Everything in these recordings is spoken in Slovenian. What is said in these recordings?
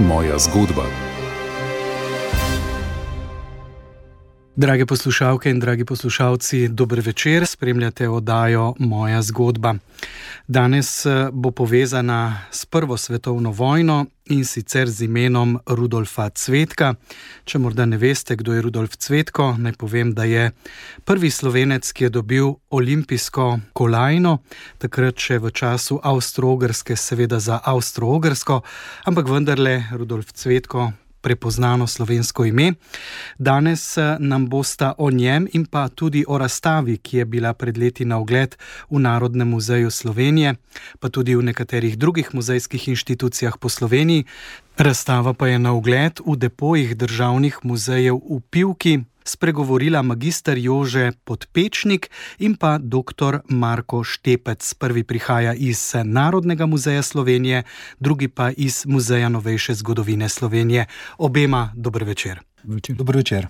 Moja zgodba. Drage poslušalke in dragi poslušalci, dober večer, spremljate oddajo Moja zgodba. Danes bo povezana s Prvo svetovno vojno in sicer z imenom Rudolfa Cvetka. Če morda ne veste, kdo je Rudolf Cvetko, naj povem, da je prvi Slovenec, ki je dobil olimpijsko kolajno, takrat še v času Avstro-Ogrske, seveda za Avstro-Ogrsko, ampak vendarle Rudolf Cvetko, prepoznano slovensko ime. Danes nam bosta o njem in pa tudi o razstavi, ki je bila pred leti na ogled v Narodnem muzeju Slovenije, pa tudi v nekaterih drugih muzejskih inštitucijah po Sloveniji. Razstava pa je na ogled v depojih državnih muzejev v Pivki, spregovorila magister Jože Podpečnik in pa dr. Marko Štepec. Prvi prihaja iz Narodnega muzeja Slovenije, drugi pa iz Muzeja novejše zgodovine Slovenije. Obema dober večer. Dober večer.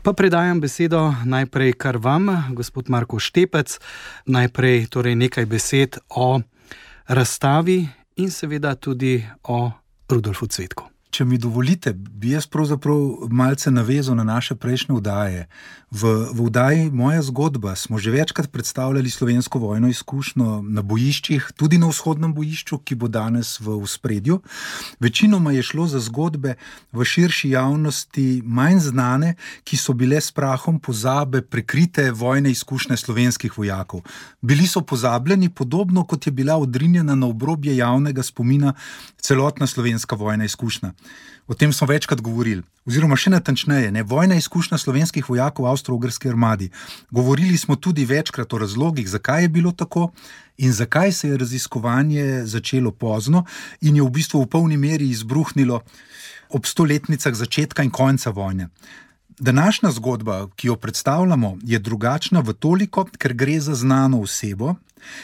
Pa predajam besedo najprej kar vam, gospod Marko Štepec. Najprej torej nekaj besed o razstavi in seveda tudi o Rudolfu Cvetku. Če mi dovolite, bi jaz pravzaprav malce navezal na naše prejšnje oddaje. V oddaji Moja zgodba smo že večkrat predstavljali slovensko vojno izkušnjo na bojiščih, tudi na vzhodnem bojišču, ki bo danes v ospredju. Večinoma je šlo za zgodbe v širši javnosti manj znane, ki so bile s prahom pozabe prekrite vojne izkušnje slovenskih vojakov. Bili so pozabljeni, podobno kot je bila odrinjena na obrobje javnega spomina celotna slovenska vojna izkušnja. O tem smo večkrat govorili, oziroma še natančneje, vojna izkušnja slovenskih vojakov v Avstro-Ogrski armadi. Govorili smo tudi večkrat o razlogih, zakaj je bilo tako in zakaj se je raziskovanje začelo pozno in je v bistvu v polni meri izbruhnilo ob 100-letnicah začetka in konca vojne. Današnja zgodba, ki jo predstavljamo, je drugačna v toliko, ker gre za znano osebo,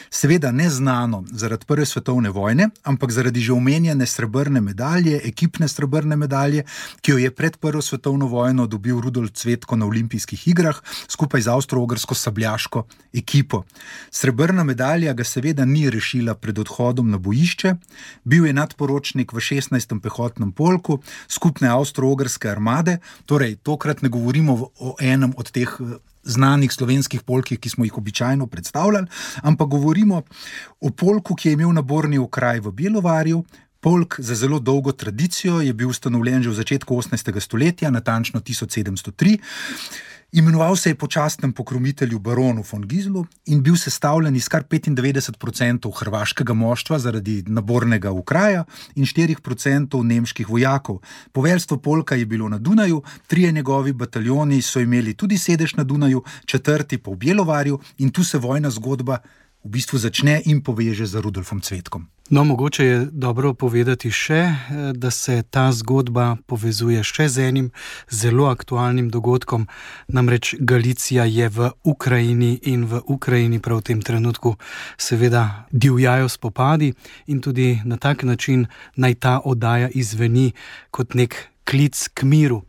seveda ne znano zaradi Prve svetovne vojne, ampak zaradi že omenjene srebrne medalje, ekipne srebrne medalje, ki jo je pred Prvo svetovno vojno dobil Rudolf Cvetko na olimpijskih igrah skupaj z avstro-ogrsko sabljaško ekipo. Srebrna medalja ga seveda ni rešila pred odhodom na bojišče, bil je nadporočnik v 16. pehotnem polku skupne avstro-ogrske armade, torej tokrat ne govorimo o enem od teh znanih slovenskih polkih, ki smo jih običajno predstavljali, ampak govorimo o polku, ki je imel naborni okraj v Bjelovarju. Polk za zelo dolgo tradicijo je bil ustanovljen že v začetku 18. stoletja, natančno 1703. Imenoval se je po častnem pokromitelju baronu von Gislu in bil sestavljen iz kar 95% hrvaškega moštva zaradi nabornega okraja in 4% nemških vojakov. Poveljstvo polka je bilo na Dunaju, 3 njegovi bataljoni so imeli tudi sedež na Dunaju, 4. pa v Bjelovarju in tu se vojna zgodba v bistvu začne in poveže z Rudolfom Cvetkom. No, mogoče je dobro povedati še, da se ta zgodba povezuje še z enim zelo aktualnim dogodkom, namreč Galicija je v Ukrajini in v Ukrajini prav v tem trenutku seveda divjajo spopadi in tudi na tak način naj ta oddaja izveni kot nek klic k miru.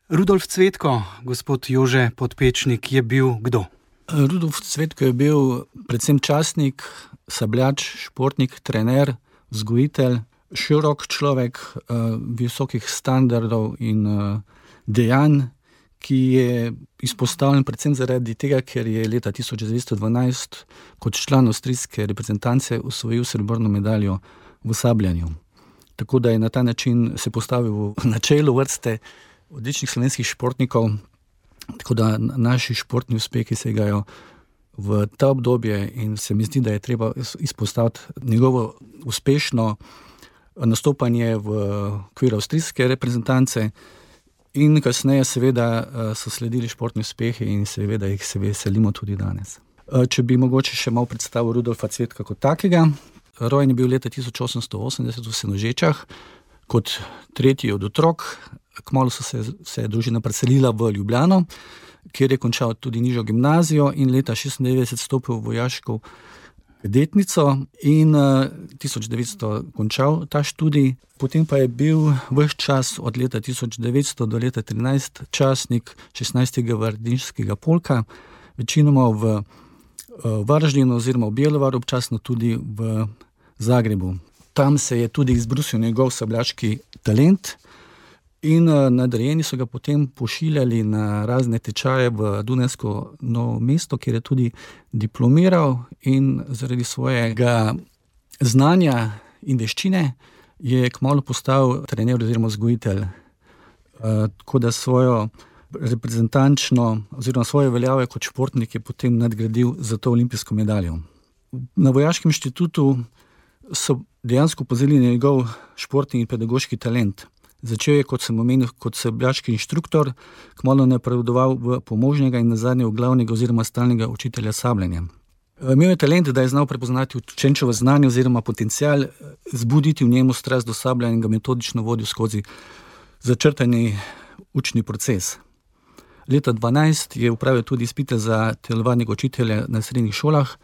Rudolf Cvetko, gospod Jože Podpečnik, je bil kdo? Rudolf Cvetko je bil predvsem častnik, sabljač, športnik, trener, vzgojitelj, širok človek visokih standardov in dejanj, ki je izpostavljen predvsem zaradi tega, ker je leta 1912 kot član avstrijske reprezentance osvojil srebrno medaljo v sabljanju. Tako da je na ta način se postavil na čelo vrste odličnih slovenskih športnikov. Tako da naši športni uspehi segajo v ta obdobje in se mi zdi, da je treba izpostaviti njegovo uspešno nastopanje v okviru avstrijske reprezentance in kasneje seveda so sledili športni uspehi in seveda jih se veselimo tudi danes. Če bi mogoče še malo predstavil Rudolfa Cvetka kot takega, rojen je bil leta 1880 v Senožečah kot tretji od otrok. Kmalu se je družina preselila v Ljubljano, kjer je končal tudi nižjo gimnazijo in leta 1996 stopil v vojaško kadetnico in 1900 končal ta študij. Potem pa je bil ves čas od leta 1900 do leta 13 častnik 16. gvardijskega polka, večinoma v Varaždinu oziroma v Bjelovaru, občasno tudi v Zagrebu. Tam se je tudi izbrusil njegov sabljaški talent in nadrejeni so ga potem pošiljali na razne tečaje v Dunajsko Novo mesto, kjer je tudi diplomiral in zaradi svojega znanja in veščine je kmalu postal trener oziroma vzgojitelj. Tako da svojo reprezentančno oziroma svoje veljave kot športnik je potem nadgradil za to olimpijsko medaljo. Na Vojaškem inštitutu so dejansko opazili njegov športni in pedagoški talent. Začel je, kot sem omenil, kot sabljaški inštruktor, kmalu napredoval v pomožnega in nazadnje v glavnega oziroma stalnega učitelja sabljenja. Imel je talent, da je znal prepoznati učenčevo znanje oziroma potencial, zbuditi v njemu strast do sabljanja in ga metodično vodil skozi začrtani učni proces. Leta 2012 je opravil tudi izpite za telovadnega učitelja na srednjih šolah.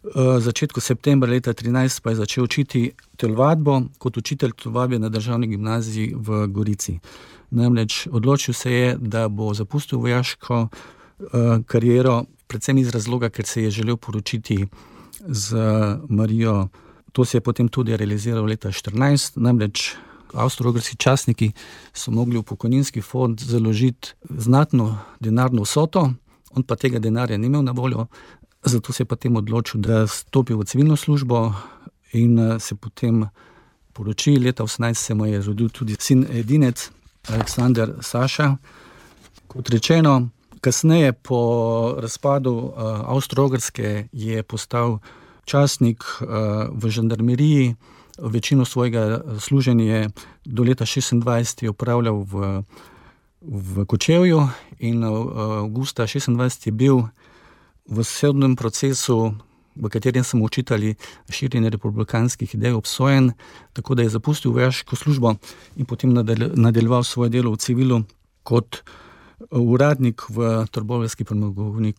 V začetku septembra leta 2013 pa je začel učiti telovadbo kot učitelj telovadbe na državni gimnaziji v Gorici. Namreč odločil se je, da bo zapustil vojaško kariero, predvsem iz razloga, ker se je želel poročiti z Marijo. To se je potem tudi realiziral leta 2014, namreč avstro-ogrski častniki so mogli v pokojninski fond založiti znatno denarno vsoto, on pa tega denarja ni imel na voljo, zato se je potem odločil, da stopi v civilno službo in se potem poroči. Leta 2018 se mu je rodil tudi sin edinec, Aleksander Saša. Kot rečeno, kasneje po razpadu Avstro-Ogrske je postal častnik v žandarmeriji. Večino svojega služenja do leta 2026 je opravljal v Kočevju in avgusta 2026 je bil v sodnem procesu, v katerem so mu očitali širjenje republikanskih idej, obsojen, tako da je zapustil vojaško službo in potem nadaljeval svoje delo v civilu kot uradnik v Trboveljski premogovni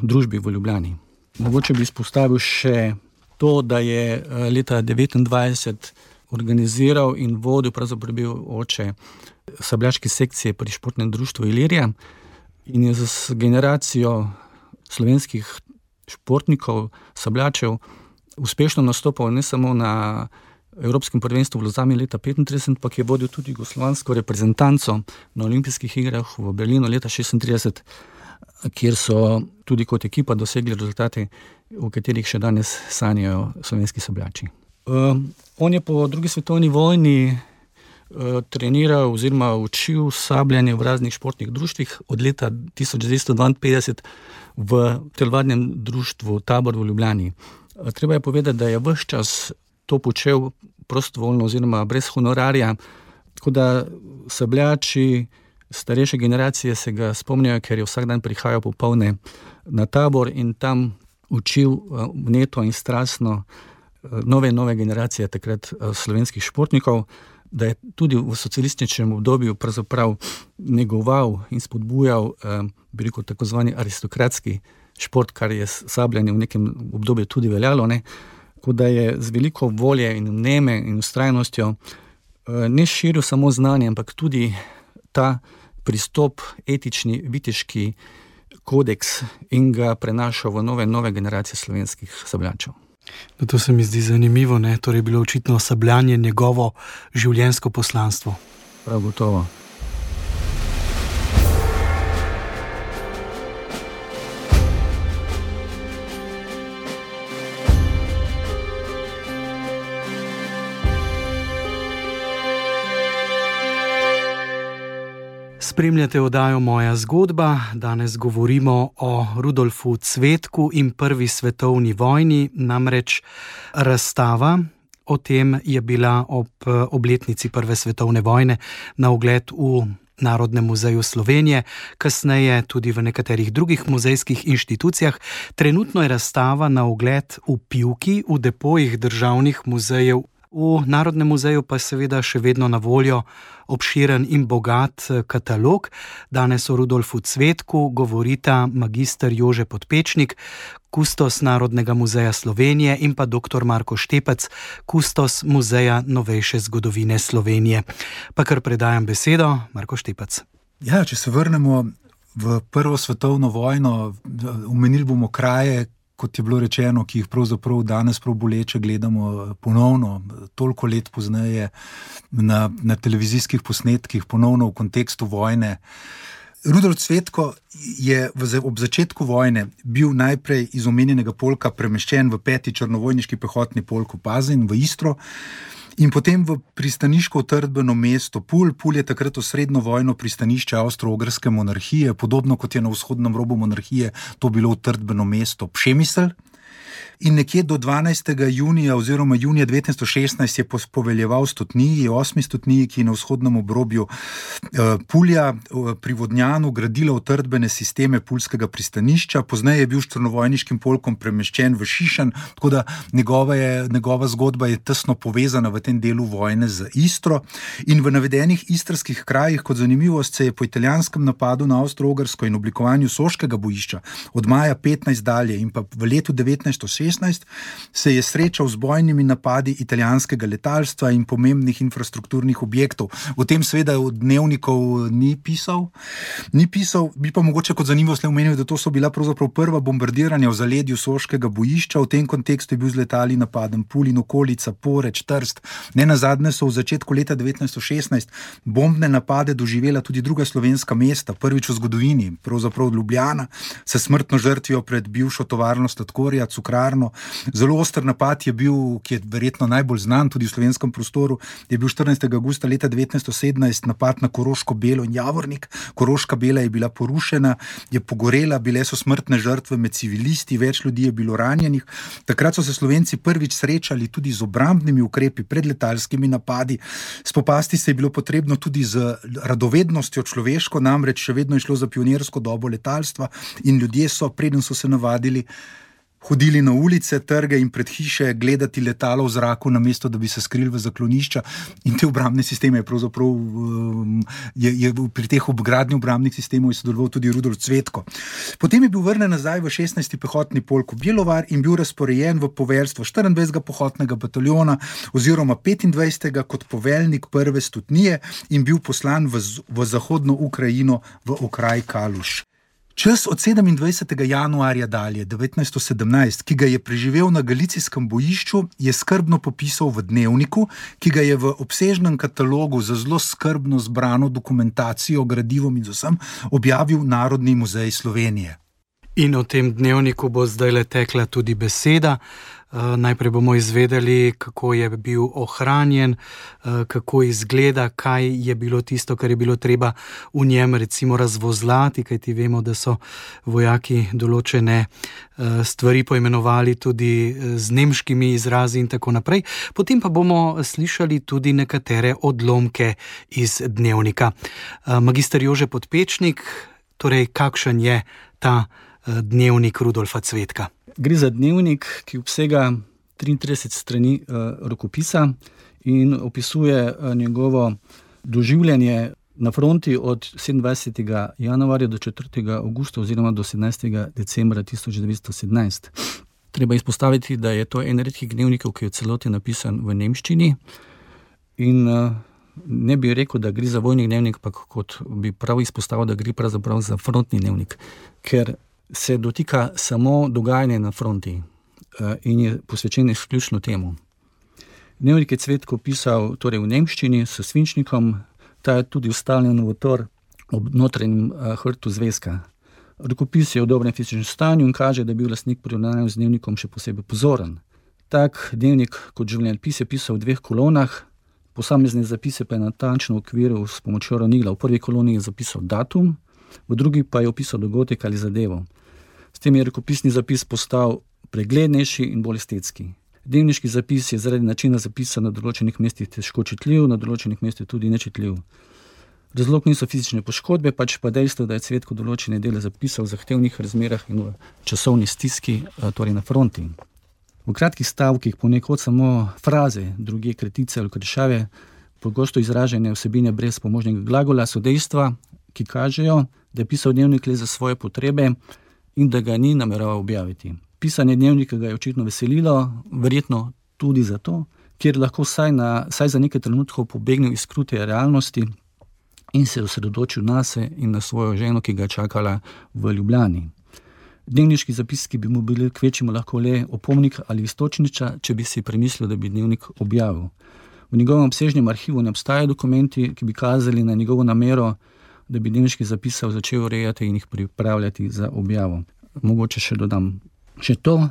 družbi v Ljubljani. Mogoče bi izpostavil še to, da je leta 1929 organiziral in vodil, pravzaprav bil oče sabljaške sekcije pri športnem društvu Ilirija in je z generacijo slovenskih športnikov, sabljačev, uspešno nastopal ne samo na Evropskem prvenstvu v Lozani leta 1935, pa je vodil tudi jugoslovansko reprezentanco na olimpijskih igrah v Berlinu leta 1936, kjer so tudi kot ekipa dosegli rezultate, v katerih še danes sanjajo slovenski sabljači. On je po drugi svetovni vojni treniral oziroma učil sabljanje v raznih športnih društvih od leta 1952 v telovadnem društvu Tabor v Ljubljani. Treba je povedati, da je ves čas to počel prostovoljno oziroma brez honorarja, tako da sabljači starejše generacije se ga spomnijo, ker je vsak dan prihajal popoldne na Tabor in tam učil vneto in strastno nove generacije takrat slovenskih športnikov, da je tudi v socialističnem obdobju pravzaprav negoval in spodbujal, bi rekel, tako zvani aristokratski šport, kar je sabljanje v nekem obdobju tudi veljalo, ne? Tako da je z veliko volje in vneme in vztrajnostjo ne širil samo znanje, ampak tudi ta pristop, etični, viteški kodeks in ga prenašal v nove generacije slovenskih sabljačev. No, to se mi zdi zanimivo, ne? Torej je bilo očitno sabljanje njegovo življenjsko poslanstvo. Prav gotovo. Spremljate oddajo Moja zgodba. Danes govorimo o Rudolfu Cvetku in prvi svetovni vojni, namreč razstava o tem je bila ob obletnici prve svetovne vojne na ogled v Narodnem muzeju Slovenije, kasneje tudi v nekaterih drugih muzejskih inštitucijah. Trenutno je razstava na ogled v Pivki, v depojih državnih muzejev. V Narodnem muzeju pa seveda še vedno na voljo obširen in bogat katalog. Danes o Rudolfu Cvetku govorita magister Jože Podpečnik, kustos Narodnega muzeja Slovenije, in pa dr. Marko Štepec, kustos Muzeja novejše zgodovine Slovenije. Pa kar predajam besedo, Marko Štepec. Ja, če se vrnemo v prvo svetovno vojno, omenili bomo kraje, kot je bilo rečeno, ki jih pravzaprav danes prav boleče gledamo ponovno, toliko let pozneje na televizijskih posnetkih, ponovno v kontekstu vojne. Rudolf Cvetko je ob začetku vojne bil najprej iz omenjenega polka premeščen v 5. črnovojniški pehotni polk v Pazin, v Istro, in potem v pristaniško utrdbeno mesto Pulj. Pulj je takrat osrednjo vojno pristanišče Avstro-Ogrske monarhije, podobno kot je na vzhodnem robu monarhije to bilo utrdbeno mesto Pšemisl. In nekje do 12. junija oziroma junija 1916 je poveljeval stotniji, 8. stotniji, ki je na vzhodnem obrobju Pulja pri Vodnjanu gradila utrdbene sisteme puljskega pristanišča. Pozneje je bil s črnovojniškim polkom premeščen v Šišan, tako da njegova zgodba je tesno povezana v tem delu vojne z Istro. In v navedenih istrskih krajih, kot zanimivost, se je po italijanskem napadu na Avstro-Ogrsko in oblikovanju soškega bojišča od maja 15 dalje in pa v letu 1916 se je srečal z bojnimi napadi italijanskega letalstva in pomembnih infrastrukturnih objektov. O tem seveda v dnevnikov ni pisal. Bi pa mogoče kot zanimivost le omenil, da to so bila pravzaprav prva bombardiranja v zaledju soškega bojišča. V tem kontekstu je bil z letali napaden Pulj in okolica, Poreč, Trst. Nenazadnje so v začetku leta 1916 bombne napade doživela tudi druga slovenska mesta, prvič v zgodovini, pravzaprav Ljubljana, se smrtno žrtvijo pred bivšo tovarno sladkorja, cukrarno. Zelo oster napad je bil, ki je verjetno najbolj znan tudi v slovenskem prostoru, je bil 14. augusta leta 1917 napad na Koroško Belo in Javornik. Koroška Bela je bila porušena, je pogorela, bile so smrtne žrtve med civilisti, več ljudi je bilo ranjenih. Takrat so se Slovenci prvič srečali tudi z obrambnimi ukrepi pred letalskimi napadi. Spopasti se je bilo potrebno tudi z radovednostjo človeško, namreč še vedno je šlo za pionirsko dobo letalstva in ljudje so, preden so se navadili, hodili na ulice, trge in pred hiše gledati letalo v zraku, namesto da bi se skrili v zaklonišča, in te obrambne sisteme je pravzaprav pri teh obgradnji obrambnih sistemov sodeloval tudi Rudolf Cvetko. Potem je bil vrnen nazaj v 16. pehotni polk v Bjelovar in bil razporejen v poveljstvo 24. pehotnega bataljona oziroma 25. kot poveljnik prve stotnije in bil poslan v zahodno Ukrajino v okraj Kaluš. Čas od 27. januarja dalje, 1917, ki ga je preživel na galicijskem bojišču, je skrbno popisal v dnevniku, ki ga je v obsežnem katalogu za zelo skrbno zbrano dokumentacijo, gradivom in z vsem objavil Narodni muzej Slovenije. In o tem dnevniku bo zdaj tekla tudi beseda. Najprej bomo izvedeli, kako je bil ohranjen, kako izgleda, kaj je bilo tisto, kar je bilo treba v njem recimo razvozlati, kajti vemo, da so vojaki določene stvari poimenovali tudi z nemškimi izrazi in tako naprej. Potem pa bomo slišali tudi nekatere odlomke iz dnevnika. Magister Jože Podpečnik, torej kakšen je ta dnevnik Rudolfa Cvetka? Gre za dnevnik, ki obsega 33 strani rokopisa in opisuje njegovo doživljanje na fronti od 27. januarja do 4. augusta oziroma do 17. decembra 1917. Treba izpostaviti, da je to en redkih dnevnikov, ki je v celoti napisan v nemščini in ne bi rekel, da gre za vojni dnevnik, pa kot bi prav izpostavil, da gre pravzaprav za frontni dnevnik, ker se dotika samo dogajanja na fronti in je posvečen izključno temu. Dnevnik je Cvetko pisal torej v nemščini s svinčnikom, ta je tudi ustavljen v tor ob notranjem hrtu zvezka. Rokopis je v dobrem fizičnem stanju in kaže, da je bil lastnik pri ravnanju z dnevnikom še posebej pozoren. Tak dnevnik kot življenjepis je pisal v 2 kolonah, posamezne zapise pa je natančno okviril s pomočjo ravnila. V prvi koloni je zapisal datum, v drugi pa je opisal dogodek ali zadevo. S tem je rokopisni zapis postal preglednejši in bolj estetski. Dnevniški zapis je zaradi načina zapisa na določenih mestih težko čitljiv, na določenih mestih tudi nečitljiv. Razlog niso fizične poškodbe, pač pa dejstvo, da je Cvetko določene dele zapisal v zahtevnih razmerah in v časovni stiski, torej na fronti. V kratkih stavkih, ponekod samo fraze, druge kratice ali krešave, pogosto izražene vsebine brez pomožnega glagola, so dejstva, ki kažejo, da je pisal dnevnik le za svoje potrebe in da ga ni nameraval objaviti. Pisanje dnevnika ga je očitno veselilo, verjetno tudi zato, ker lahko vsaj za nekaj trenutkov pobegnil iz krute realnosti in se osredotočil nase in na svojo ženo, ki ga je čakala v Ljubljani. Dnevniški zapiski bi mu bili kvečemu lahko le opomnik ali iztočnica, če bi si premislil, da bi dnevnik objavil. V njegovem obsežnem arhivu ne obstajajo dokumenti, ki bi kazali na njegovo namero, da bi dnevniški zapisov začel urejati in jih pripravljati za objavo. Mogoče še dodam še to,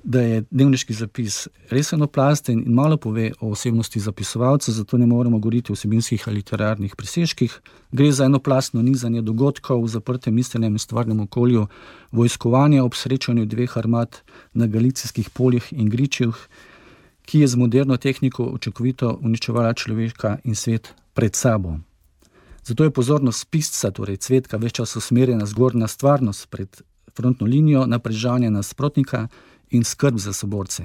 da je dnevniški zapis res enoplasten in malo pove o osebnosti zapisovalca, zato ne moremo govoriti o vsebinskih ali literarnih presežkih. Gre za enoplastno nizanje dogodkov v zaprtem miselnem in stvarnem okolju, vojskovanje ob srečanju dveh armad na galicijskih poljih in gričih, ki je z moderno tehniko učinkovito uničevala človeka in svet pred sabo. Zato je pozornost pisca, torej Cvetka, ves čas usmerjena zgolj na stvarnost pred frontno linijo, na prežanje nasprotnika in skrb za soborce.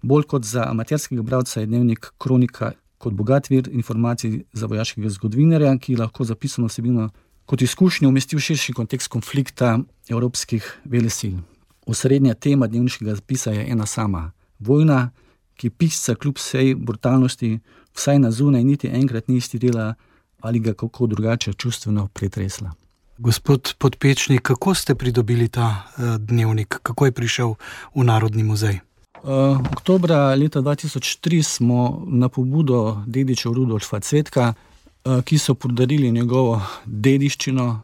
Bolj kot za amaterskega bralca je dnevnik kronika kot bogat vir informacij za vojaškega zgodovinarja, ki lahko zapisano vsebino kot izkušnjo umesti v širši kontekst konflikta evropskih velesil. Osrednja tema dnevniškega zapisa je ena sama: vojna, ki pisca kljub vsej brutalnosti vsaj na zunaj niti enkrat ni iztirila ali ga kako drugače čustveno pretresla. Gospod Podpečnik, kako ste pridobili ta dnevnik? Kako je prišel v Narodni muzej? Oktobra leta 2003 smo na pobudo dedičev Rudolfa Cvetka, ki so podarili njegovo dediščino,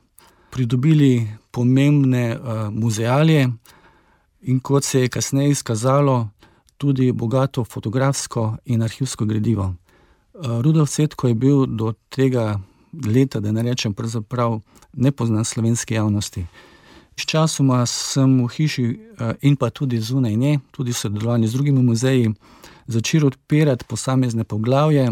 pridobili pomembne muzealije in, kot se je kasneje izkazalo, tudi bogato fotografsko in arhivsko gradivo. Rudolf Cvetko je bil do tega leta, da ne rečem pravzaprav, nepoznan slovenski javnosti. Sčasoma sem v hiši in pa tudi zunaj nje, tudi v sodelovanju z drugimi muzeji, začel odpirati posamezne poglavje.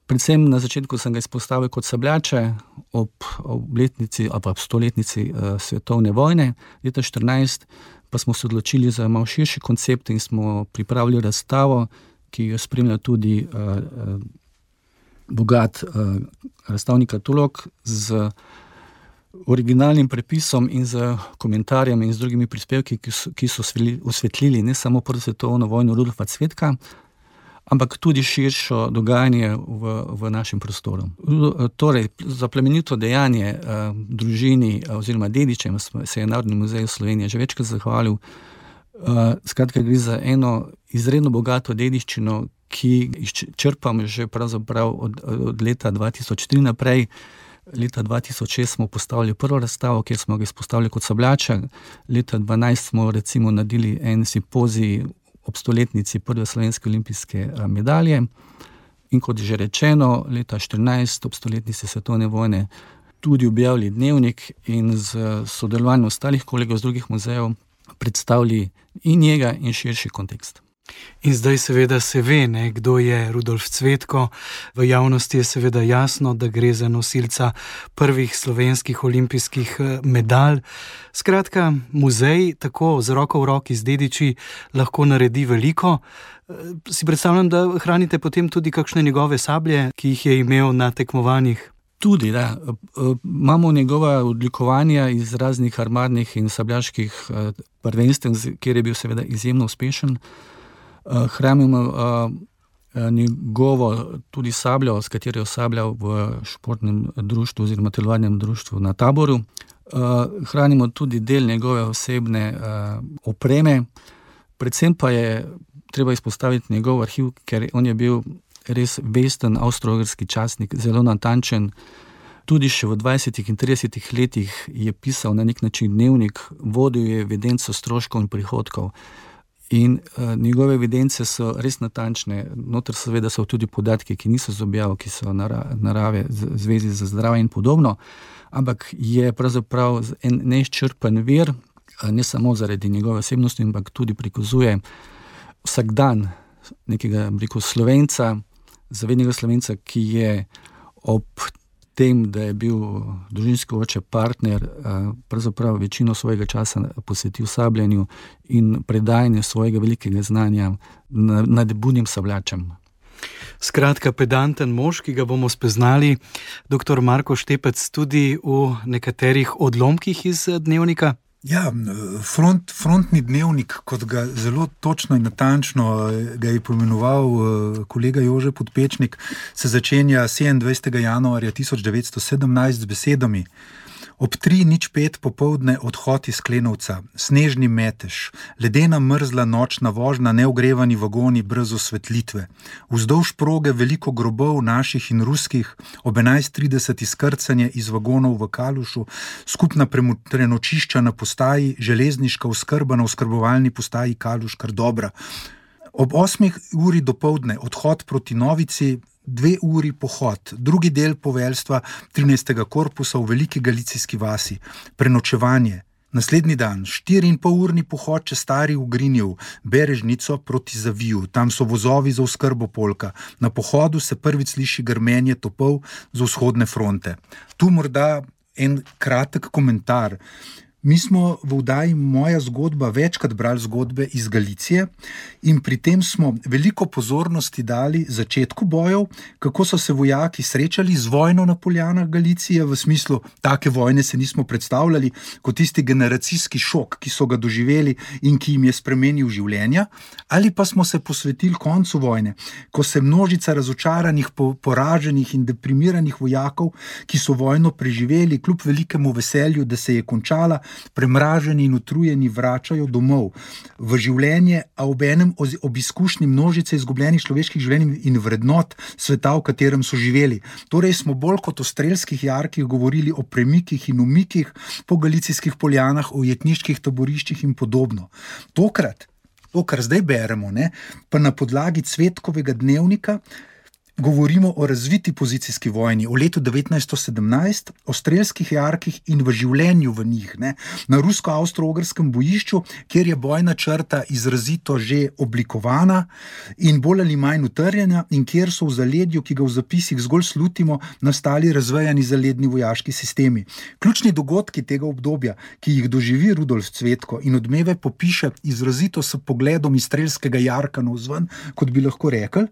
Predvsem na začetku sem ga izpostavil kot sabljače ob obletnici ali pa 100-letnici svetovne vojne. Leta 2014 pa smo se odločili za malo širši koncept in smo pripravili razstavo, ki jo spremlja tudi bogat razstavni katalog z originalnim prepisom in z komentarjem in z drugimi prispevki, ki so osvetlili ne samo prvo svetovno vojno Rudolfa Cvetka, ampak tudi širšo dogajanje v našem prostoru. Torej, za plemenito dejanje družini oziroma dedičem se je Narodni muzej Slovenije že večkrat zahvalil. Skratka, gre za eno izredno bogato dediščino, ki črpam že pravzaprav od leta 2003 naprej. Leta 2006 smo postavili prvo razstavo, kjer smo ga izpostavili kot sabljača. Leta 2012 smo recimo naredili en simpozij ob 100-letnici prve slovenske olimpijske medalje. In kot že rečeno, leta 2014 ob 100-letnici svetovne vojne tudi objavili dnevnik in z sodelovanjem ostalih kolegov z drugih muzejev predstavili in njega in širši kontekst. In zdaj seveda se ve, kdo je Rudolf Cvetko. V javnosti je seveda jasno, da gre za nosilca prvih slovenskih olimpijskih medalj. Skratka, muzej tako z roko v roki z dediči lahko naredi veliko. Si predstavljam, da hranite potem tudi kakšne njegove sablje, ki jih je imel na tekmovanjih. Tudi, da. Imamo njegova odlikovanja iz raznih armadnih in sabljaških prvenstev, kjer je bil seveda izjemno uspešen. Hranimo njegovo tudi sabljo, s katero je osabljal v športnem društvu oziroma telovadnem društvu na Taboru. Hranimo tudi del njegove osebne opreme. Predvsem pa je treba izpostaviti njegov arhiv, ker on je bil res vesten avstro-ogrski častnik, zelo natančen. Tudi še v 20 in 30 letih je pisal na nek način dnevnik, vodil je evidenco stroškov in prihodkov. In njegove evidence so res natančne. Noter seveda so tudi podatki, ki niso z objavo, ki so narave, zvezi za zdravje in podobno, ampak je pravzaprav en neizčrpen vir, ne samo zaradi njegove osebnosti, ampak tudi prikazuje vsak dan nekega, Slovenca, zavednega Slovenca, ki je ob tem, da je bil družinski oče partner, pravzaprav večino svojega časa posvetil sabljanju in predajanju svojega velikega znanja nad budnim sabljačem. Skratka, pedanten mož, ki ga bomo spoznali, dr. Marko Štepec, tudi v nekaterih odlomkih iz dnevnika. Ja, frontni dnevnik, kot ga zelo točno in natančno ga je pomenoval kolega Jože Podpečnik, se začenja 27. januarja 1917 z besedami: Ob 3:05 popoldne odhod iz Klenovca, snežni metež, ledena mrzla nočna vožnja, neogrevani vagoni brez osvetlitve. Vzdolž proge veliko grobov naših in ruskih, ob 11:30 izkrcanje iz vagonov v Kalušu, skupna prenočišča na postaji, železniška oskrba na oskrbovalni postaji Kaluš kar dobra. Ob 8:00 dopoldne odhod proti Novici, 2 uri pohod, drugi del poveljstva 13. korpusa v Veliki Galicijski vasi, prenočevanje. Naslednji dan 4,5-urni pohod čez Stari Ugrinjev, Berežnico proti Zaviju, tam so vozovi za oskrbo Polka. Na pohodu se prvič sliši grmenje topov z vzhodne fronte. Tu morda en kratek komentar. Mi smo v oddaji Moja zgodba večkrat brali zgodbe iz Galicije in pri tem smo veliko pozornosti dali začetku bojev, kako so se vojaki srečali z vojno na poljanah Galicije, v smislu, take vojne se nismo predstavljali, kot tisti generacijski šok, ki so ga doživeli in ki jim je spremenil življenja, ali pa smo se posvetili koncu vojne, ko se množica razočaranih, poraženih in deprimiranih vojakov, ki so vojno preživeli, kljub velikemu veselju, da se je končala, premraženi in utrujeni vračajo domov v življenje, a obenem ob izkušnji množice izgubljenih človeških življenj in vrednot sveta, v katerem so živeli. Torej smo bolj kot o strelskih jarkih govorili o premikih in umikih po galicijskih poljanah, o jetniških taboriščih in podobno. Tokrat, to, kar zdaj beremo, pa na podlagi Cvetkovega dnevnika, govorimo o razviti pozicijski vojni, o letu 1917, o strelskih jarkih in v življenju v njih, na rusko-avstro-ogrskem bojišču, kjer je bojna črta izrazito že oblikovana in bolj ali manj utrjena in kjer so v zaledju, ki ga v zapisih zgolj slutimo, nastali razvejani zaledni vojaški sistemi. Ključni dogodki tega obdobja, ki jih doživi Rudolf Cvetko in Odmeve popiše izrazito s pogledom iz strelskega jarka navzven, kot bi lahko rekli,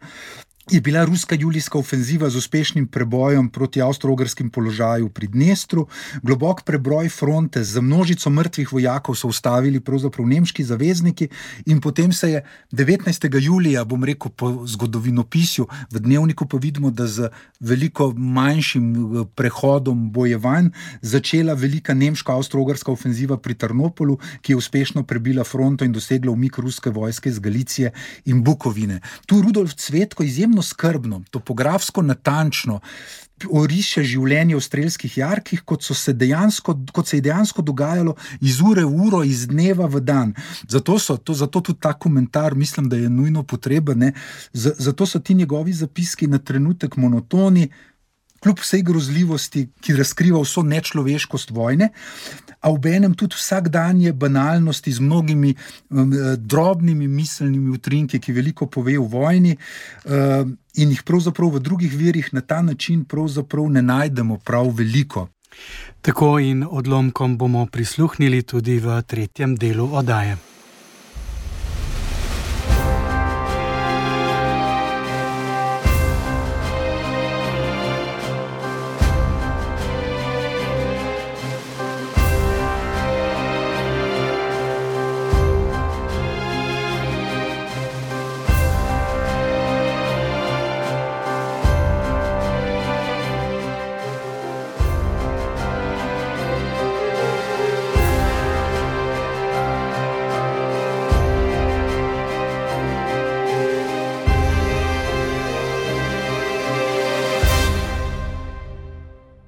je bila ruska julijska ofenziva z uspešnim prebojem proti avstro-ogrskim položaju pri Dnestru. Globok prebroj fronte z množico mrtvih vojakov so ustavili pravzaprav nemški zavezniki in potem se je 19. julija, bom rekel po zgodovinopisju, v dnevniku pa vidimo, da z veliko manjšim prehodom bojevanj začela velika nemška avstro-ogrska ofenziva pri Trnopolu, ki je uspešno prebila fronto in dosegla umik ruske vojske iz Galicije in Bukovine. Tu Rudolf Cvetko izjemno skrbno, topografsko natančno oriše življenje v strelskih jarkih, kot se je dejansko dogajalo iz ure v uro, iz dneva v dan. Zato tudi ta komentar mislim, da je nujno potreben. Zato so ti njegovi zapiski na trenutek monotoni, kljub vsej grozljivosti, ki razkriva vso nečloveškost vojne, a obenem tudi vsakdanje banalnosti z mnogimi drobnimi miselnimi utrinki, ki veliko pove o vojni in jih pravzaprav v drugih virih na ta način pravzaprav ne najdemo prav veliko. Tako in odlomkom bomo prisluhnili tudi v tretjem delu oddaje.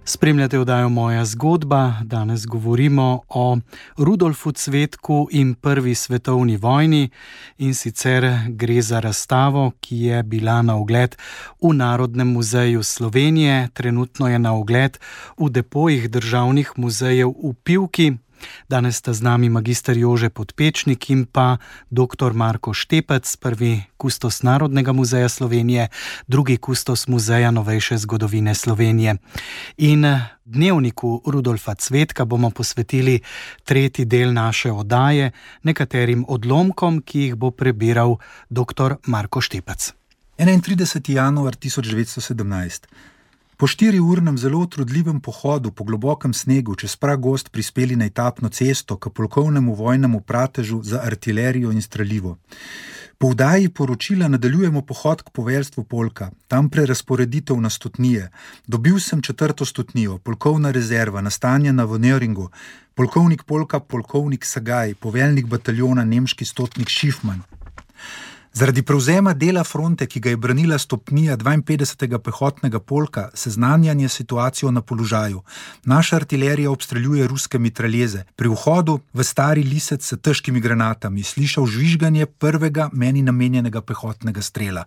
Spremljate oddajo Moja zgodba. Danes govorimo o Rudolfu Cvetku in prvi svetovni vojni in sicer gre za razstavo, ki je bila na ogled v Narodnem muzeju Slovenije. Trenutno je na ogled v depojih državnih muzejev v Pivki. Danes sta z nami magister Jože Podpečnik in pa dr. Marko Štepec, prvi kustos Narodnega muzeja Slovenije, drugi kustos Muzeja novejše zgodovine Slovenije. In dnevniku Rudolfa Cvetka bomo posvetili tretji del naše oddaje, nekaterim odlomkom, ki jih bo prebiral dr. Marko Štepec. 31. januar 1917. Po 4-urnem zelo utrudljivem pohodu po globokem snegu čez pragozd prispeli na etapno cesto k polkovnemu vojnemu pratežu za artilerijo in strelivo. Po vdaji poročila nadaljujemo pohod k poveljstvu polka, tam prerazporeditev na stotnije. Dobil sem 4. stotnijo, polkovna rezerva, nastanjena v Nöringu, polkovnik polka, polkovnik Sagaj, poveljnik bataljona, nemški stotnik Schiffmann. Zaradi prevzema dela fronte, ki ga je branila stopnija 52. pehotnega polka, seznanjanje situacijo na položaju. Naša artilerija obstreljuje ruske mitraljeze. Pri vhodu v Stari Lisec s težkimi granatami slišal žvižganje prvega meni namenjenega pehotnega strela.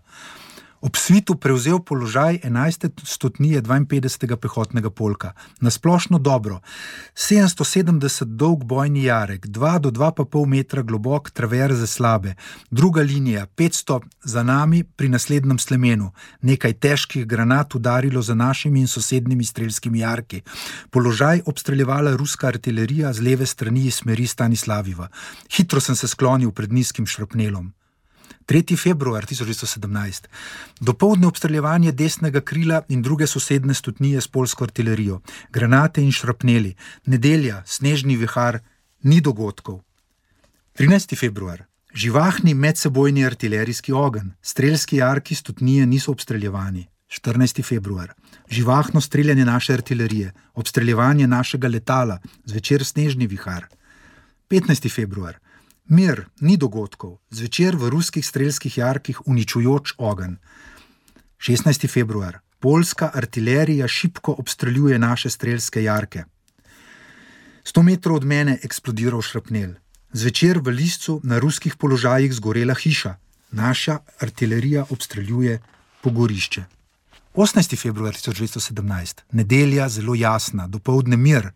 Ob svitu prevzel položaj 11. stotnije 52. pehotnega polka. Nasplošno dobro. 770 dolg bojni jarek, 2 do 2,5 metra globok traverze slabe, druga linija, 500 za nami pri naslednjem slemenu. Nekaj težkih granat udarilo za našimi in sosednjimi strelskimi jarki. Položaj obstreljevala ruska artilerija z leve strani iz smeri Stanislaviva. Hitro sem se sklonil pred nizkim šrapnelom. 3. februar 1917. Dopoldne obstreljevanje desnega krila in druge sosedne stotnije s poljsko artilerijo. Granate in šrapneli. Nedelja, snežni vihar, ni dogodkov. 13. februar. Živahni medsebojni artilerijski ogenj. Strelski jarki stotnije niso obstreljevani. 14. februar. Živahno streljanje naše artilerije. Obstreljevanje našega letala. Zvečer snežni vihar. 15. februar. Mir, ni dogodkov, zvečer v ruskih strelskih jarkih uničujoč ogenj. 16. februar. Poljska artilerija šibko obstreljuje naše strelske jarke. 100 metrov od mene eksplodiral šrapnel. Zvečer v Liscu na ruskih položajih zgorela hiša. Naša artilerija obstreljuje pogorišče. 18. februar 1917. Nedelja, zelo jasna, dopoldne mir.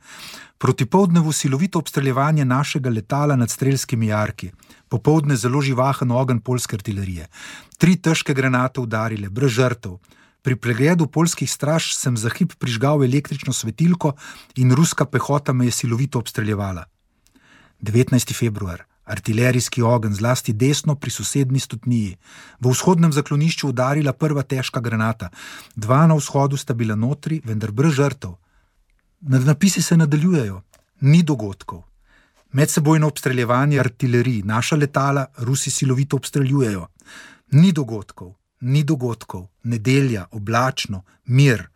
Proti poldnevu silovito obstreljevanje našega letala nad strelskimi jarki. Popoldne zelo živahen ogenj poljske artilerije. 3 težke granate udarile, brez žrtev. Pri pregledu poljskih straž sem za hip prižgal električno svetilko in ruska pehota me je silovito obstreljevala. 19. februar. Artilerijski ogenj, zlasti desno pri sosednji stotniji. V vzhodnem zaklonišču udarila prva težka granata. 2 na vzhodu sta bila notri, vendar brez žrtev. Nadnapisi se nadaljujejo. Ni dogodkov. Medsebojno obstreljevanje artilerij, naša letala Rusi silovito obstreljujejo. Ni dogodkov. Ni dogodkov. Nedelja, oblačno, mir.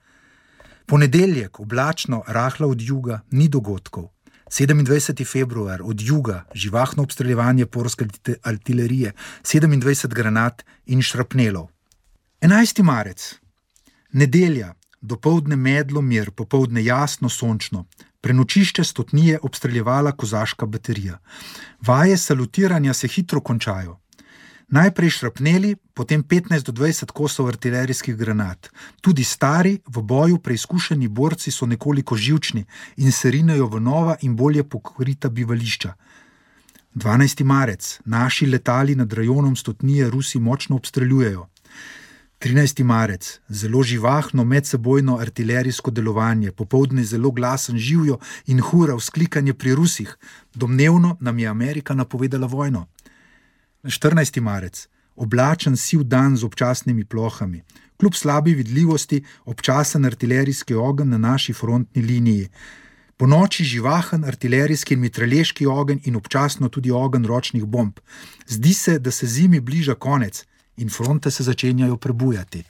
Ponedeljek, oblačno, rahla od juga, ni dogodkov. 27. februar, od juga, živahno obstreljevanje poljske artilerije, 27 granat in šrapnelov. 11. marec. Nedelja, dopoldne medlo, mir, popoldne jasno, sončno. Prenočišče stotnije obstreljevala kozaška baterija. Vaje salutiranja se hitro končajo. Najprej šrapneli, potem 15 do 20 kosov artilerijskih granat. Tudi stari, v boju preizkušeni borci so nekoliko živčni in se rinejo v nova in bolje pokrita bivališča. 12. marec. Naši letali nad rajonom stotnije Rusi močno obstreljujejo. 13. marec. Zelo živahno medsebojno artilerijsko delovanje, popoldne zelo glasen živjo in hura vzklikanje pri Rusih. Domnevno nam je Amerika napovedala vojno. 14. marec. Oblačen siv dan z občasnimi plohami. Kljub slabi vidljivosti občasen artilerijski ogenj na naši frontni liniji. Po noči živahen artilerijski in mitralješki ogenj in občasno tudi ogenj ročnih bomb. Zdi se, da se zimi bliža konec in fronte se začenjajo prebujati.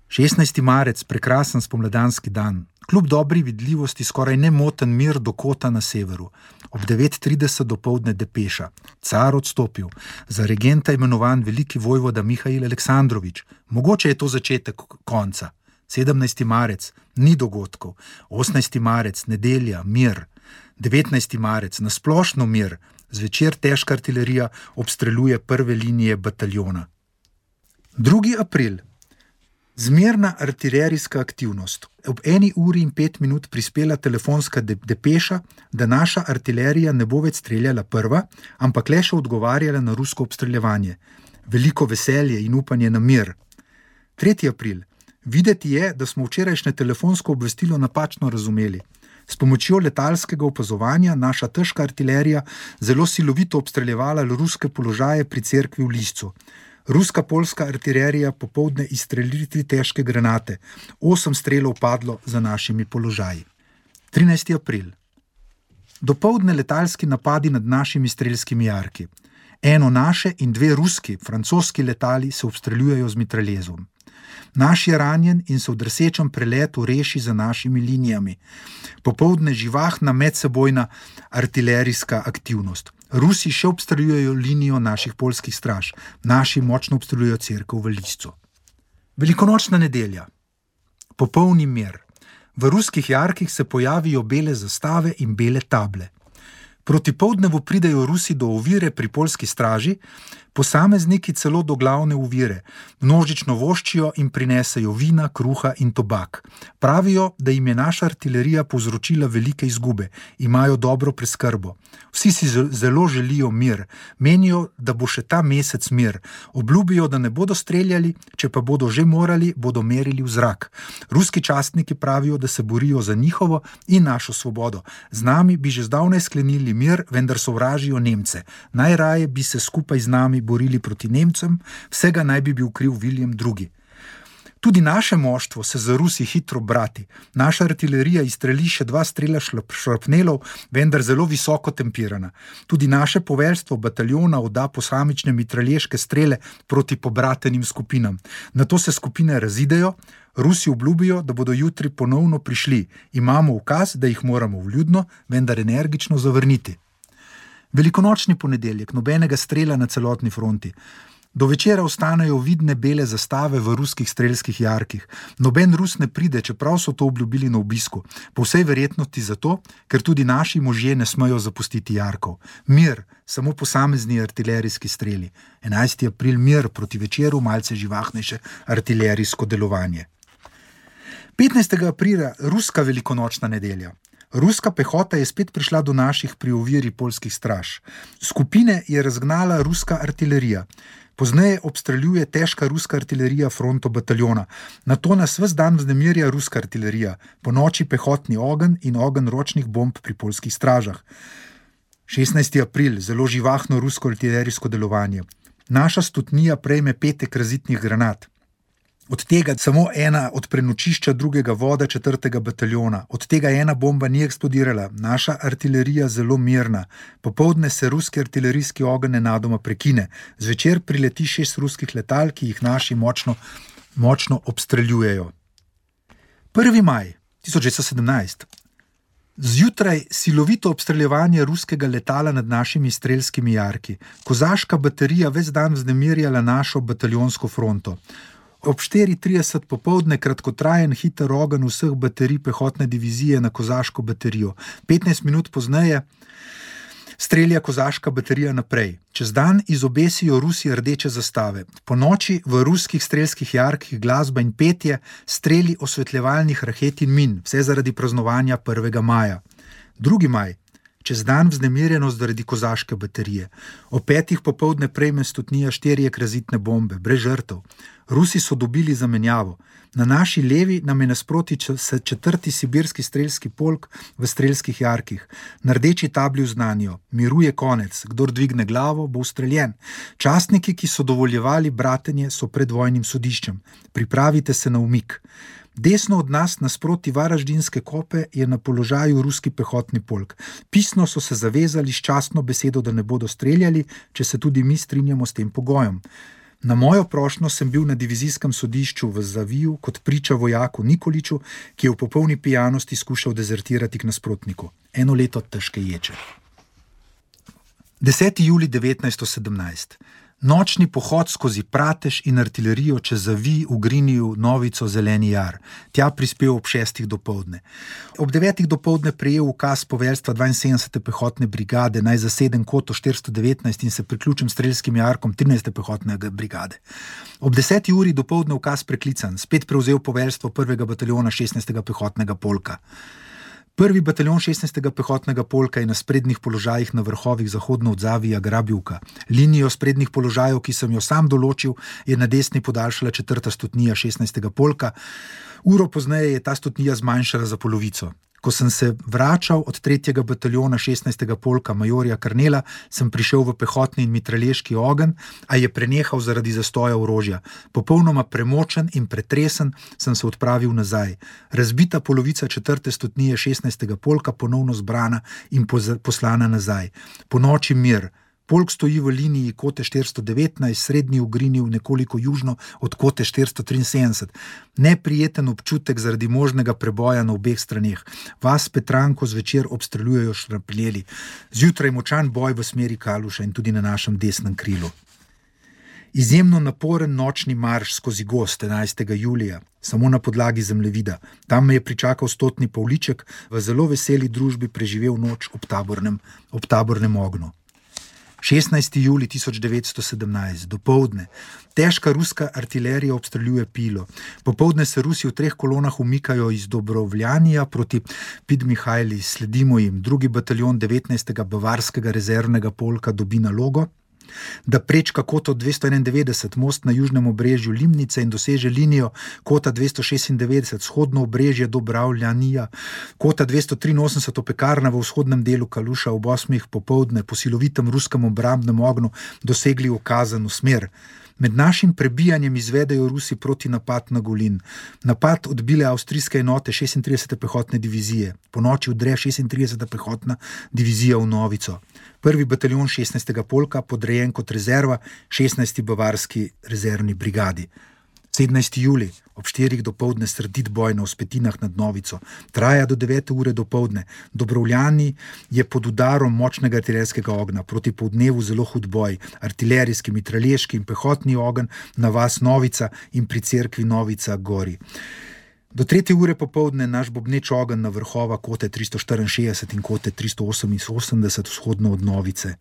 16. marec, prekrasen spomladanski dan. Kljub dobri vidljivosti skoraj nemoten mir do kota na severu. Ob 9:30 dopoldne depeša. Car odstopil. Za regenta imenovan veliki vojvoda Mihail Aleksandrovič. Mogoče je to začetek konca. 17. marec, ni dogodkov. 18. marec, nedelja, mir. 19. marec, nasplošno mir. Zvečer težka artilerija obstreljuje prve linije bataljona. 2. april. Zmerna artilerijska aktivnost. Ob 1:05 prispela telefonska depeša, da naša artilerija ne bo več streljala prva, ampak le še odgovarjala na rusko obstreljevanje. Veliko veselje in upanje na mir. 3. april. Videti je, da smo včerajšnje telefonsko obvestilo napačno razumeli. S pomočjo letalskega opazovanja naša težka artilerija zelo silovito obstreljevala ruske položaje pri cerkvi v Liscu. Ruska poljska artilerija popoldne izstrelili 3 težke granate. 8 strelov padlo za našimi položaji. 13. april. Dopoldne letalski napadi nad našimi strelskimi jarki. Eno naše in 2 ruski, francoski letali se obstreljujejo z mitraljezom. Naš je ranjen in se v drsečem preletu reši za našimi linijami. Popoldne živahna medsebojna artilerijska aktivnost. Rusi še obstreljujejo linijo naših poljskih straž. Naši močno obstreljujejo cerkev v Liscu. Velikonočna nedelja. Popolni mir. V ruskih jarkih se pojavijo bele zastave in bele table. Proti poldnevu pridejo Rusi do ovire pri poljski straži, posamezniki celo do glavne ovire, množično voščijo in prinesejo vina, kruha in tobak. Pravijo, da jim je naša artilerija povzročila velike izgube, imajo dobro preskrbo. Vsi si zelo želijo mir, menijo, da bo še ta mesec mir. Obljubijo, da ne bodo streljali, če pa bodo že morali, bodo merili v zrak. Ruski častniki pravijo, da se borijo za njihovo in našo svobodo. Z nami bi že zdavnaj sklenili mir, vendar sovražijo Nemce. Najraje bi se skupaj z nami borili proti Nemcem, vsega naj bi bil kriv William II. Tudi naše moštvo se za Rusi hitro brati. Naša artilerija izstreli še 2 strela šrapnelov, vendar zelo visoko tempirana. Tudi naše poveljstvo bataljona odda posamične mitralješke strele proti pobratenim skupinam. Nato se skupine razidejo, Rusi obljubijo, da bodo jutri ponovno prišli. Imamo ukaz, da jih moramo vljudno, vendar energično zavrniti. Velikonočni ponedeljek, nobenega strela na celotni fronti. Do večera ostanejo vidne bele zastave v ruskih strelskih jarkih. Noben Rus ne pride, čeprav so to obljubili na obisku. Po vsej verjetnosti zato, ker tudi naši možje ne smejo zapustiti jarkov. Mir, samo posamezni artilerijski streli. 11. april, mir, proti večeru malce živahnejše artilerijsko delovanje. 15. aprila, ruska velikonočna nedelja. Ruska pehota je spet prišla do naših pri oviri poljskih straž. Skupine je razgnala ruska artilerija. Pozneje obstreljuje težka ruska artilerija fronto bataljona. Nato nas ves dan vznemirja ruska artilerija, po noči pehotni ogenj in ogenj ročnih bomb pri poljskih stražah. 16. april, zelo živahno rusko artilerijsko delovanje. Naša stotnija prejme 5 razitnih granat. Od tega samo ena od prenočišča 2. voda 4. bataljona. Od tega ena bomba ni eksplodirala. Naša artilerija zelo mirna. Popoldne se ruski artilerijski ogenj nenadoma prekine. Zvečer prileti 6 ruskih letal, ki jih naši močno obstreljujejo. 1. maj 1917. Zjutraj silovito obstreljevanje ruskega letala nad našimi strelskimi jarki. Kozaška baterija ves dan vznemirjala našo bataljonsko fronto. Ob 4:30 popoldne kratkotrajen hiter ogenj vseh baterij pehotne divizije na kozaško baterijo. 15 minut pozneje strelja kozaška baterija naprej. Čez dan izobesijo Rusi rdeče zastave. Po noči v ruskih strelskih jarkih glasba in petje, streli osvetljevalnih raket in min, vse zaradi praznovanja 1. maja. 2. maj. Čez dan vznemirjenost zaradi kozaške baterije. O 5. popoldne prejme stotnija 4 razitne bombe, brez žrtev. Rusi so dobili zamenjavo. Na naši levi nam je nasproti 4. sibirski strelski polk v strelskih jarkih. Na rdeči tabli vznanijo: miru je konec, kdor dvigne glavo, bo ustreljen. Častniki, ki so dovoljevali bratenje, so pred vojnim sodiščem. Pripravite se na umik. Desno od nas, nasproti Varaždinske kope, je na položaju ruski pehotni polk. Pisno so se zavezali s častno besedo, da ne bodo streljali, če se tudi mi strinjamo s tem pogojem. Na mojo prošnjo sem bil na divizijskem sodišču v Zaviju kot priča vojaku Nikoliču, ki je v popolni pijanosti skušal dezertirati k nasprotniku. 1 leto težke ječe. 10. julij 1917. Nočni pohod skozi Pratež in artilerijo čez Zavij v Griniju, Novico, Zeleni jar. Tja prispel ob 6. dopoldne. Ob 9. dopoldne prejel ukaz poveljstva 72. pehotne brigade, naj zasedem koto 419 in se priključim strelskim jarkom 13. pehotne brigade. Ob 10. uri dopoldne ukaz preklican, spet prevzel poveljstvo 1. bataljona 16. pehotnega polka. 1. bataljon 16. pehotnega polka je na sprednjih položajih na vrhovih zahodno od Zavija Grabivka. Linijo sprednjih položajev, ki sem jo sam določil, je na desni podaljšala 4. stotnija 16. polka. Uro pozneje je ta stotnija zmanjšala za polovico. Ko sem se vračal od 3. bataljona 16. polka majorja Karnela, sem prišel v pehotni in mitralješki ogenj, a je prenehal zaradi zastoja orožja. Popolnoma premočen in pretresen sem se odpravil nazaj. Razbita polovica 4. stotnije 16. polka ponovno zbrana in poslana nazaj. Po noči mir, Polk stoji v liniji kote 419, srednji ugrinil nekoliko južno od kote 473. Neprijeten občutek zaradi možnega preboja na obeh straneh. Vas Petranko zvečer obstreljujejo šrapeljeli. Zjutraj močan boj v smeri Kaluša in tudi na našem desnem krilu. Izjemno naporen nočni marš skozi gozd 11. julija, samo na podlagi zemljevida. Tam me je pričakal stotni Pavliček, v zelo veseli družbi preživel noč ob tabornem ognju. 16. julij 1917, dopoldne. Težka ruska artilerija obstreljuje Pilo. Popoldne se Rusi v 3 kolonah umikajo iz Dobrovljanija proti Podmihajli. Sledimo jim. 2. bataljon 19. bavarskega rezervnega polka dobi nalogo, da prečka koto 291, most na južnem obrežju Limnice in doseže linijo kota 296, vzhodno obrežje Dobravljanija, kota 283, Pekarna v vzhodnem delu Kaluša ob 8. popoldne po silovitem ruskem obrambnem ognju dosegli ukazano smer. Med našim prebijanjem izvedejo Rusi proti napad na Golin. Napad odbile avstrijske enote 36. pehotne divizije. Po noči vdre 36. pehotna divizija v Novico. 1. bataljon 16. polka podrejen kot rezerva 16. bavarski rezervni brigadi. 17. julij, ob 4. dopoldne srdit boj na Vzpetinah nad Novico. Traja do 9. ure dopoldne. Dobrovljani je pod udarom močnega artilerijskega ognja. Proti poldnevu zelo hud boj. Artilerijski, mitralješki in pehotni ogenj na vas Novica in pri cerkvi Novica gori. Do 3. ure popoldne naš bobneč ogenj na vrhova kote 364 in kote 388 vzhodno od Novice.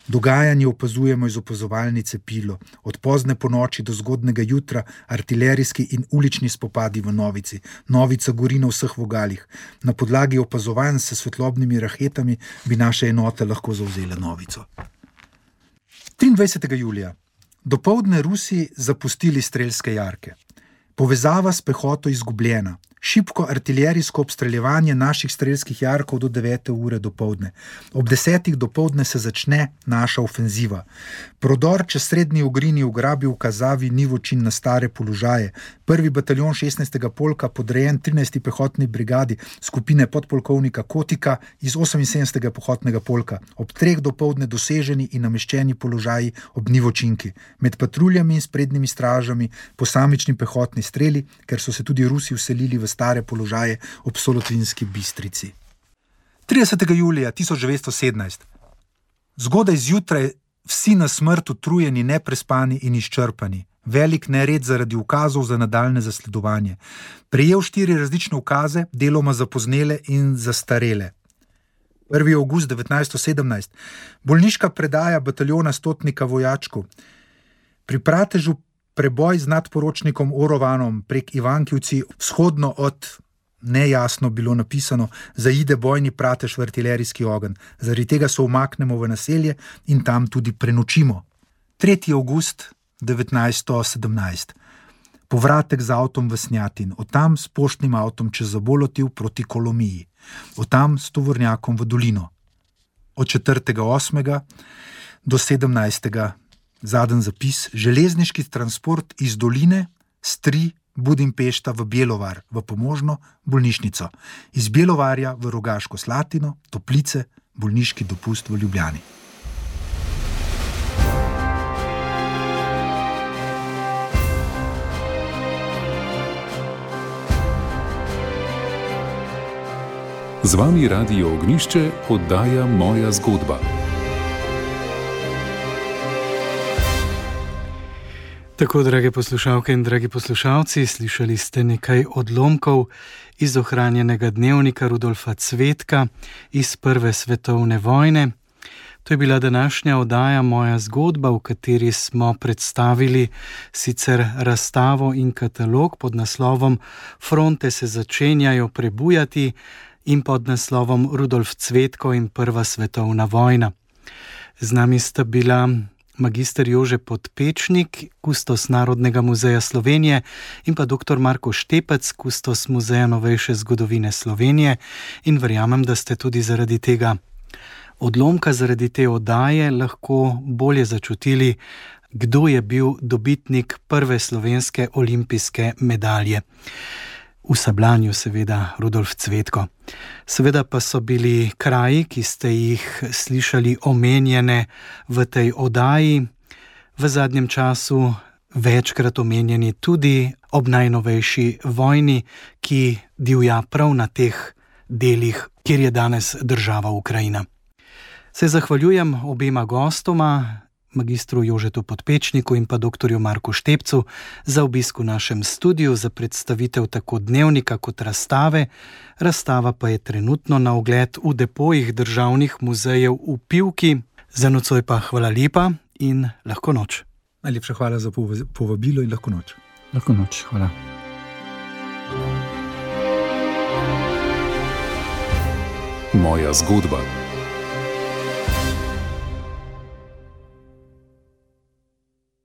Dogajanje opazujemo iz opazovalnice Pilo. Od pozne ponoči do zgodnega jutra artilerijski in ulični spopadi v Novici. Novica gori na vseh vogalih. Na podlagi opazovanj s svetlobnimi raketami bi naše enote lahko zavzele Novico. 23. julija. Dopoldne Rusi zapustili strelske jarke. Povezava s pehoto izgubljena. Šibko artilerijsko obstreljevanje naših strelskih jarkov do 9. ure dopoldne. Ob 10. dopoldne se začne naša ofenziva. Prodor čez srednji Ugrini ugrabi v Kazavi Nivočin na stare položaje. 1. bataljon 16. polka podrejen 13. pehotni brigadi skupine podpolkovnika Kotika iz 78. pehotnega polka. Ob 3. dopoldne doseženi in nameščeni položaji ob Nivočinki. Med patruljami in sprednjimi stražami posamični pehotni streli, ker so se tudi Rusi vselili v stare položaje ob Solotvinski Bistrici. 30. julija 1917. Zgodaj zjutraj vsi na smrt utrujeni, neprespani in izčrpani. Velik nered zaradi ukazov za nadaljne zasledovanje. Prejel 4 različne ukaze, deloma zapoznele in zastarele. 1. avgust 1917. Bolniška predaja bataljona stotnika vojačku. Pri Pratežu preboj z nadporočnikom Orovanom prek Ivankivci vzhodno od, nejasno bilo napisano, zaide bojni Pratež v artilerijski ogenj. Zaradi tega se umaknemo v naselje in tam tudi prenočimo. 3. avgust 1917. Povratek z avtom v Snjatin, od tam s poštnim avtom čez Zabolotiv proti Kolomiji, od tam s tovornjakom v dolino. Od 4.8. do 17. Zadnji zapis, železniški transport iz doline Stri Budimpešta v Bjelovar, v pomožno bolnišnico. Iz Bjelovarja v Rogaško Slatino, Toplice, bolniški dopust v Ljubljani. Z vami Radio Ognjišče oddaja Moja zgodba. Tako, drage poslušalke in dragi poslušalci, slišali ste nekaj odlomkov iz ohranjenega dnevnika Rudolfa Cvetka iz Prve svetovne vojne. To je bila današnja oddaja Moja zgodba, v kateri smo predstavili sicer razstavo in katalog pod naslovom Fronte se začenjajo prebujati in pod naslovom Rudolf Cvetko in Prva svetovna vojna. Z nami sta bila magister Jože Podpečnik, kustos Narodnega muzeja Slovenije, in pa dr. Marko Štepec, kustos Muzeja novejše zgodovine Slovenije, in verjamem, da ste tudi zaradi tega odlomka, zaradi te oddaje lahko bolje začutili, kdo je bil dobitnik prve slovenske olimpijske medalje. v Sablanju seveda Rudolf Cvetko. Seveda pa so bili kraji, ki ste jih slišali omenjene v tej oddaji, v zadnjem času večkrat omenjeni tudi ob najnovejši vojni, ki divja prav na teh delih, kjer je danes država Ukrajina. Se zahvaljujem obema gostoma, magistru Jožetu Podpečniku in pa doktorju Marku Štepcu, za obisk v našem studiu, za predstavitev tako dnevnika kot razstave. Razstava pa je trenutno na ogled v depojih državnih muzejev v Pivki. Za nocoj pa hvala lepa in lahko noč. Najlepša hvala za povabilo in lahko noč. Lahko noč, hvala. Moja zgodba.